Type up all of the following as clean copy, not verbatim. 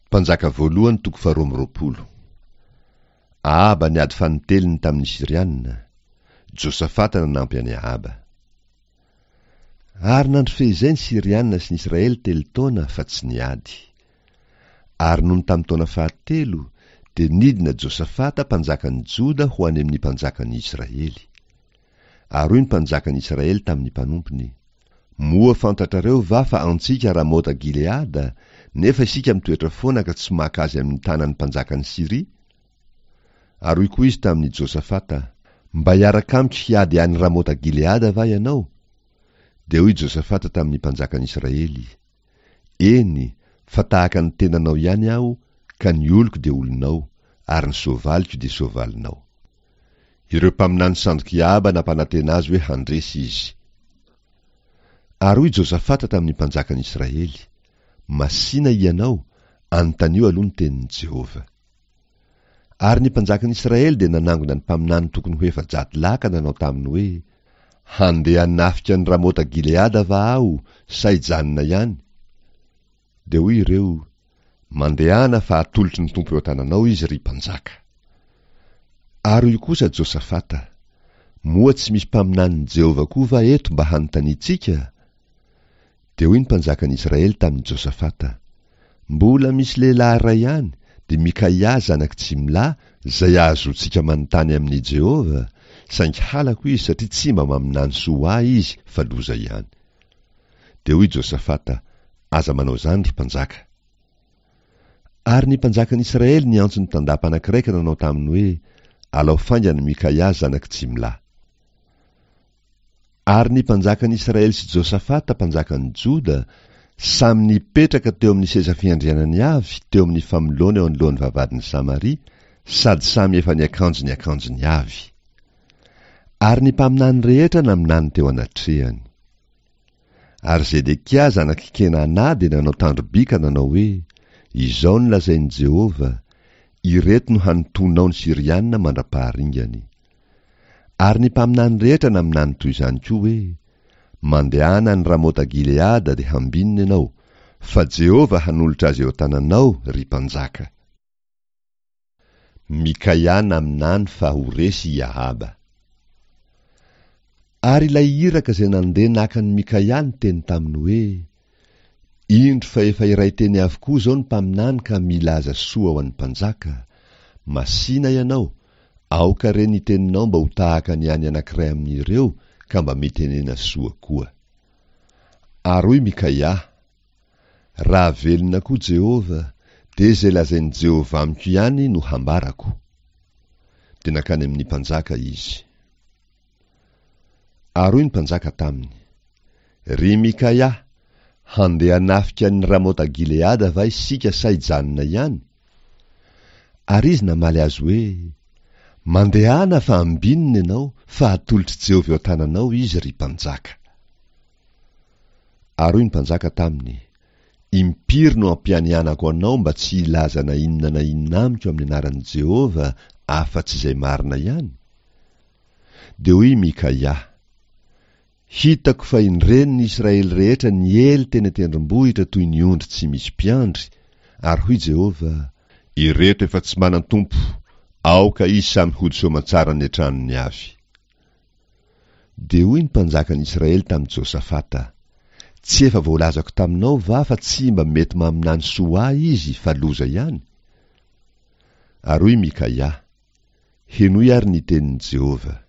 Mpanjaka voalohany toko faharoa amby 22. Ahaba niady fanintelony tamin'ny Syriana. Josafata nanampy an'i Ahaba. Ary nandry fehizay ny Syriana sy ny Israely telo taona fa tsy niady. Ary nony tamin'ny taona fahatelo, dia nidina Josafata mpanjakan'ny Joda ho any amin'ny mpanjakan'ny Israely. Ary hoy ny mpanjakan'ny Israely tamin'ny mpanompony, Moa fantatrareo va fa antsika Ramota Gileada, nefa isika mitoetra foana ka tsy maka azy amin'ny tanan'ny mpanjakan'i Syria? Ary hoy koa izy tamin'i Josafata, Mba hiaraka amiko hiady any Ramota Gileada va ianao? Dia hoy Josafata tamin'ny mpanjakan'i Israely, Eny, fa tahaka ny tenanao ihany aho, ka ny oloko dia olonao, ary ny soavaliko dia soavalinao. Ireo mpaminany sandok'i Ahaba nampanantena azy hoe handresy izy. Ary hoy Josafata tamin'ny mpanjakan'i Israely, Masìna hianao, anontanio aloha ny tenin'i Jehovah. Ary ny mpanjakan'i Israely dia nanangona ny mpaminany tokony ho 400 lahy ka nanao taminy hoe, Handeha hanafika an'i Ramota-Gileada va aho, sa hijanona ihany? Dia hoy ireo, Mandehana fa atolotry ny Tompo eo an-tananao izy, ry mpanjaka. Ary hoy kosa Josafata, Moa tsy misy mpaminanin'i Jehovah koa va eto mba hanontaniantsika? Dia hoy ny mpanjakan'i Israely tamin'i Josafata, Mbola misy lehilahy iray ihany, dia Mikaia zanak'i Jimla, izay ahazoantsika manontany amin'i Jehovah, saingy halako izy satria tsy mba maminany soa ho ahy izy fa loza ihany. Dia hoy Josafata, Aza manao izany, ry mpanjaka. Ary ny mpanjakan'i Israely niantso ny tandapa anankiray ka nanao taminy hoe, Alao faingana Mikaia zanak'i Jimla. Ary ny mpanjakan'i Israely sy Josafata mpanjakan'i Joda samy nipetraka teo amin'ny seza fiandrianany avy teo amin'ny famoloana eo anoloan'ny vavahadin'i Samaria, sady samy efa niakanjo ny akanjony avy. Ary ny mpaminany rehetra naminany teo anatrehany. Ary Zedekia zanak'i Kenana dia nanao tandro-by ka nanao hoe, Izao no lazain'i Jehovah, Ireto no hanintonao ny Syriana mandra-paharingany. Ary ny mpaminany rehetra naminany toy izany koa hoe, Mandehana any Ramota-gileada dia hambinina ianao, fa Jehovah hanolotra azy eo an-tananao, ry mpanjaka. Mikaia naminany fa ho resy i Ahaba. Ary ilay iraka izay nandeha naka an'i Mikaia niteny taminy hoe, Indro fa efa iray teny avokoa izao ny mpaminany ka milaza soa ho an'ny mpanjaka, Masìna ianao, aoka re ny teninao mba ho tahaka ny an'ny anankiray amin'ireo ka mba mitenena soa koa. Ary hoy Mikaia, Raha velona koa Jehovah, dia izay lazain'i Jehovah amiko ihany no hambarako. Dia nankany amin'ny mpanjaka izy. Ary hoy ny mpanjaka taminy, Ry Mikaia, handeha hanafika an'i Ramota-gileada va isika sa hijanona ihany? Ary izy namaly azy hoe, Mandehana fa ambinina ianao, fa hatolotr'i Jehovah eo an-tananao izy, ry mpanjaka. Ary hoy ny mpanjaka taminy, Impiry no ampianianako anao mba tsy hilaza na inona na inona amiko amin'ny anaran'i Jehovah afa-tsy izay marina ihany? Dia hoy i Mikaia, Hitako fa indreny ny Israely rehetra niely teny an-tendrombohitra toy ny ondry tsy misy mpiandry, ary hoy Jehovah, Ireto efa tsy manan-tompo, aoka izy samy hody soamantsara any an-tranony avy. Dia hoy ny mpanjakan'i Israely tamin'i Josafata, Tsy efa voalazako taminao va fa tsy mba mety maminany soa ho ahy izy fa loza ihany? Ary hoy Mikaia, Henoy àry ny tenin'i Jehovah.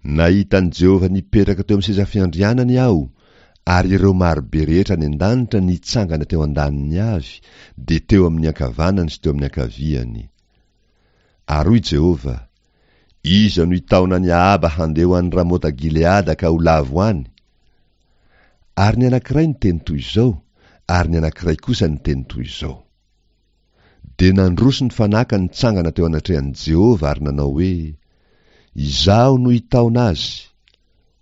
Nahita an'i Jehovah nipetraka teo amin'ny seza fiandrianany aho, ary ireo maro be rehetra any an-danitra nitsangana teo an-daniny avy, dia teo amin'ny ankavanany sy teo amin'ny ankaviany. Ary hoy Jehovah, Iza no hitaona an'i Ahaba handeha ho any Ramota-gileada ka ho lavo any? Ary ny anankiray niteny toy izao, ary ny anankiray kosa niteny toy izao. Dia nandroso ny fanahy ka nitsangana teo anatrehan'i Jehovah ary nanao hoe, Izaho no hitaona azy.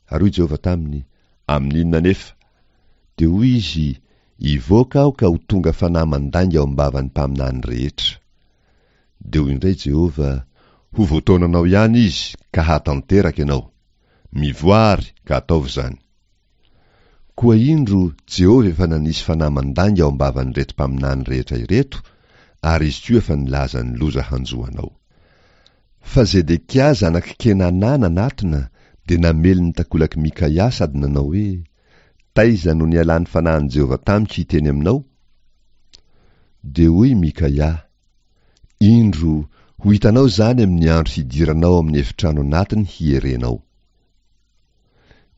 Ary hoy Jehovah taminy, Amin'inona anefa? Dia hoy izy, Hivoaka aho ka ho tonga fanahy mandainga ao am-bavan'ny mpaminany rehetra. Dia hoy indray Jehovah, Ho voataonanao ihany izy, ka hahatanteraka ianao. Mivoaha àry, ka ataovy izany. Koa indro, Jehovah efa nanisy fanahy mandainga ao am-bavan'ireto mpaminany rehetra ireto, ary izy koa efa nilaza ny loza hanjo anao. Fa Zedekia zanak'i Kenana nanatona, dia namely ny takolak'i Mikaia sady nanao hoe, Taiza no nialan'ny fanahin'i Jehovah tamiko hiteny aminao? Dia hoy Mikaia, Indro, ho hitanao izany amin'ny andro hidiranao ao amin'ny efitrano anatiny hierenao.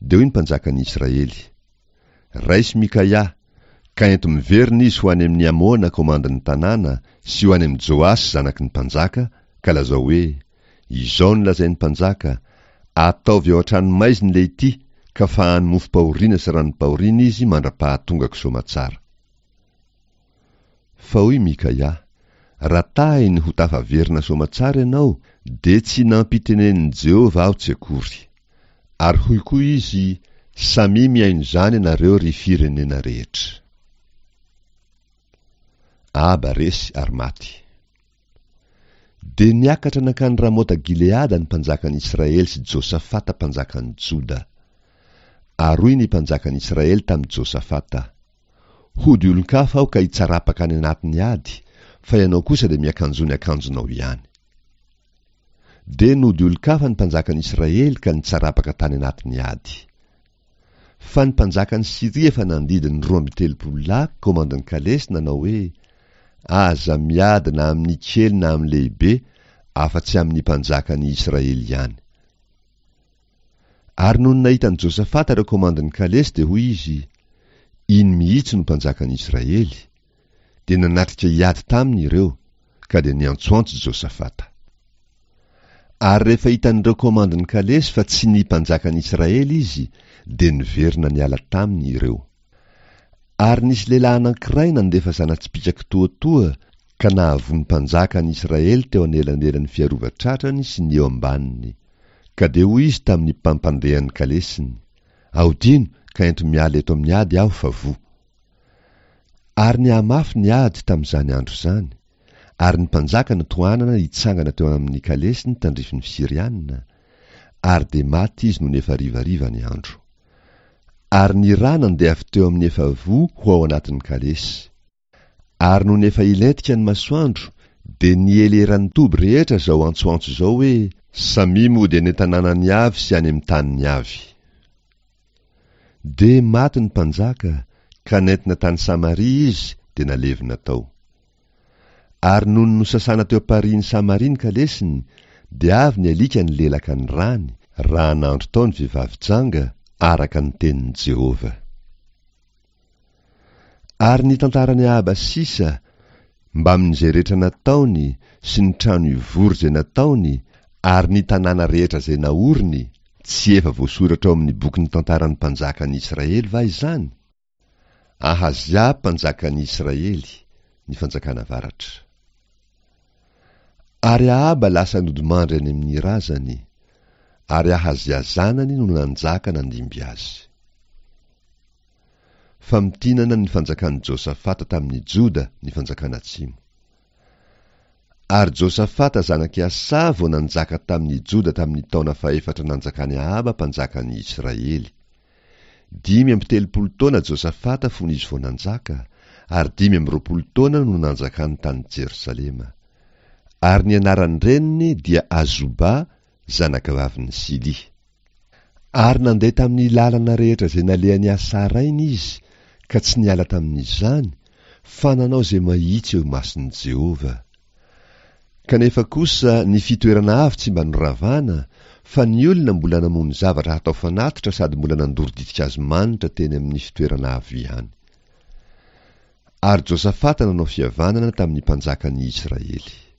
Dia hoy ny mpanjakan'ny Israely, Raiso Mikaia, ka ento miverina izy ho any amin'i Amona komandin'ny tanàna sy ho any amin'i Joasy zanaky ny mpanjaka, ka lazao hoe, Izao no lazain'ny mpanjaka, Ataovy ao an-tranomaizina ilay ity, ka fahano mofom-pahoriana sy ranom-pahoriana izy mandra-pahatongako soamatsara. Fa hoy Mikaia, Raha tahiny ho tafaverina soamatsara ianao, dia tsy nampitenenin'i Jehovah aho tsy akory. Ary hoy koa izy, Samia mihaino izany ianareo ry firenena rehetra. Ahaba resy ary maty. Dia niakatra nankany Ramota-gileada ny mpanjakan'i Israely sy Josafata mpanjakan'i Joda. Ary hoy ny mpanjakan'i Israely tamin'i Josafata, Hody olon-kafa aho ka hitsarapaka any anatin'ny ady, fa ianao kosa dia miakanjoa ny akanjonao ihany. Dia nody olon-kafa ny mpanjakan'i Israely ka nitsarapaka tany anatin'ny ady. Fa ny mpanjakan'i Syria efa nandidy ny 32 lahy komandin'ny kalesy nanao hoe, Aza miady na amin'ny kely na amin'ny lehibe, afa-tsy amin'ny mpanjakan'i Israely ihany. Ary nony nahita an'i Josafata ireo komandin'ny kalesy dia hoy izy, Iny mihitsy no mpanjakan'i Israely. Dia nanatrika hiady taminy ireo, ka dia niantsoantso Josafata. Ary rehefa hitan'ireo komandin'ny kalesy fa tsy ny mpanjakan'i Israely izy, dia niverina niala taminy ireo. Ary nisy lehilahy anankiray nandefa zana-tsipìka kitoatoa ka nahavoa ny mpanjakan'i Israely teo anelanelan'ny fiarova-tratrany sy ny eo ambaniny. Ka dia hoy izy tamin'ny mpampandeha ny kalesiny, Ahodino ka ento miala eto amin'ny ady aho fa voa. Ary nihamafy ny ady tamin'izany andro izany, ary ny mpanjaka notohanana hitsangana teo amin'ny kalesiny tandrifin'ny Syriana, ary dia maty izy nony efa harivariva ny andro. Ary ny rà nandeha avy teo amin'ny efa voa ho ao anatin'ny kalesy. Ary nony efa hilentika ny masoandro, dia niely eran'ny toby rehetra izao antsoantso izao hoe, Samia mody any an-tanànany avy sy any amin'ny taniny avy. Dia maty ny mpanjaka, ka nentina tany Samaria izy, dia nalevina tao. Ary nony nosasana teo am-parihin'i Samaria ny kalesiny, dia avy ny alika nilelaka ny rany, raha nandro tao ny vehivavy janga, araka ny tenin'i Jehovah. Ary ny tantaran'i Ahaba sisa, mbamin'izay rehetra nataony sy ny trano ivory izay nataony ary ny tanàna rehetra izay naoriny, tsy efa voasoratra ao amin'ny bokin'ny tantaran'ny mpanjakan'i Israely va izany? Ahazia mpanjakan'i Israely, ny fanjakana avaratra. Ary Ahaba lasa nodimandry any amin'ny razany, ary Ahazia zanany no nanjaka nandimby azy. Famintinana ny fanjakan'i Josafata tamin'i Joda ny fanjakana atsimo. Ary Josafata zanak'i Asa vao nanjaka tamin'i Joda tamin'ny taona fahefatra nanjakan'i Ahaba mpanjakan'i Israely. 35 taona Josafata fony izy vao nanjaka, ary 25 taona no nanjakany tany Jerosalema. Ary ny anaran-dreniny dia Azoba, zanakavavin'i Sily. Ary nandeha tamin'ny lalana rehetra izay nalehan'i Asa rainy izy, ka tsy niala tamin'izany, fa nanao izay mahitsy eo imason'i Jehovah. Kanefa kosa ny fitoerana avo tsy mba noravana, fa ny olona mbola namono zavatra hatao fanatitra sady mbola nandoro ditin-kazo manitra teny amin'ny fitoerana avo ihany. Ary Josafata nanao fihavanana tamin'ny mpanjakan'ny Israely.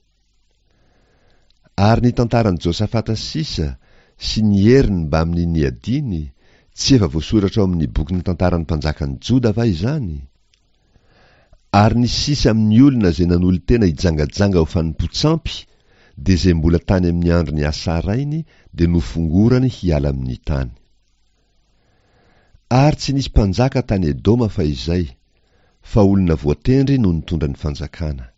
Ary ny tantaran'i Josafata sisa, sy ny heriny mbamin'ny niadiany, tsy efa voasoratra ao amin'ny bokin'ny tantaran'ny mpanjakan'i Joda va izany? Ary ny sisa amin'ny olona izay nanolo-tena hijangajanga ho fanompoan-tsampy, dia izay mbola tany amin'ny andron'i Asa rainy, dia nofongorany hiala amin'ny tany. Ary tsy nisy mpanjaka tany Edoma fahizay, fa olona voatendry no nitondra ny fanjakana.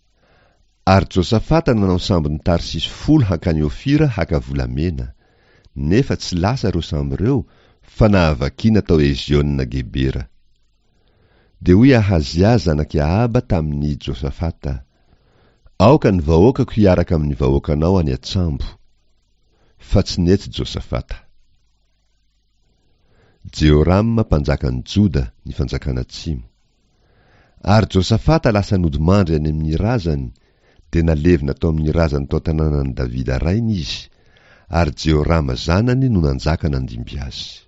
Ary Josafata nanao sambon'i Tarsisy folo hankany Ofira haka volamena, nefa tsy lasa ireo sambo ireo, fa nahavakiana tao Eziona-gebera. Dia hoy Ahazia zanak'i Ahaba tamin'i Josafata, Aoka ny vahoakako hiaraka amin'ny vahoakanao any an-tsambo. Fa tsy nety Josafata. Jehorama mpanjakan'i Joda, ny fanjakana atsimo. Ary Josafata lasa nodimandry any amin'ny razany, dia nalevina tao amin'ny razany tao an-tanànan'i Davida rainy izy, ary Jehorama zanany no nanjaka nandimby azy.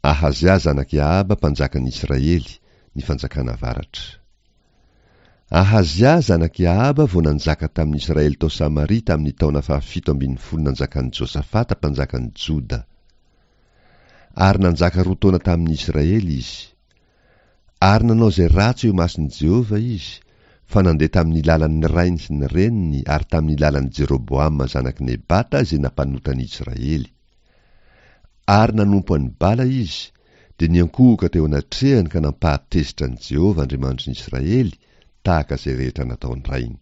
Ahazia zanak'i Ahaba mpanjakan'i Israely, ny fanjakana avaratra. Ahazia zanak'i Ahaba vao nanjaka tamin'i Israely tao Samaria tamin'ny taona fahafito ambin'ny folo nanjakan'i Josafata mpanjakan'i Joda. Ary nanjaka roa taona tamin'i Israely izy. Ary nanao izay ratsy eo imason'i Jehovah izy, fa nandeha tamin'ny lalan'ny rainy sy ny reniny ary tamin'ny lalan'i Jeroboama zanak'i Nebata izay nampanota ny Israely. Ary nanompo an'i Bala izy, dia niankohoka teo anatrehany ka nampahatezitra an'i Jehovah Andriamanitry ny Israely, tahaka izay rehetra nataon-drainy.